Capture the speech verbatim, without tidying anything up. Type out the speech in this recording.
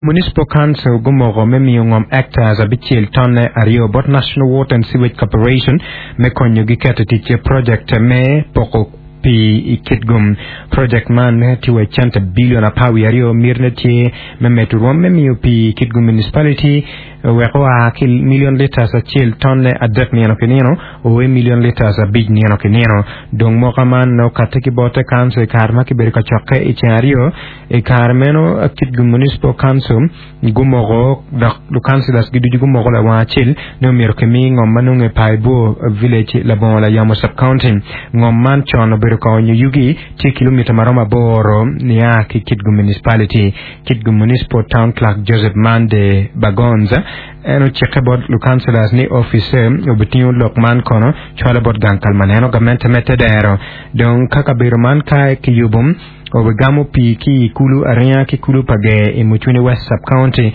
Municipal Council gumoko me miyo ngom hectares abicel tonne aryo bot National Water and Sewage Corporation me konyo gi keto tic project me poko pii i Kitgum. Project man tye wa cente bilion apar wiye aryo mitine tye me medo rwom me miyo pii i Kitgum Municipality wek oa ki million liters acel tonne adek nino ki nino o i million liters abic nino ki nino. Dong mwaka man okatte ki bote council i kare ma kibedo ka cokke i ceng aryo i kare meno Kitgum Municipal Council gumoko dok lukansilas giducu gumoko lawang acel ni omyero kimi ngom ma nongo i Paibor Village labongo layamo sub-county. Ngom man con obedo ka onyo yugi tye kilomita maromo aboro nia ki Kitgum Municipality. Kitgum Municipal Town Clerk Joseph Mande Bagonza en ocikke bot lukansilas ni office obitingo lok man kono cwalo bot gang kal ma neno gamente me tedero. Dong ka kabedo man ka kiyubo obigamo pii ki i kulu aringa ki kulu pa ger i Mucwini West Sub-County.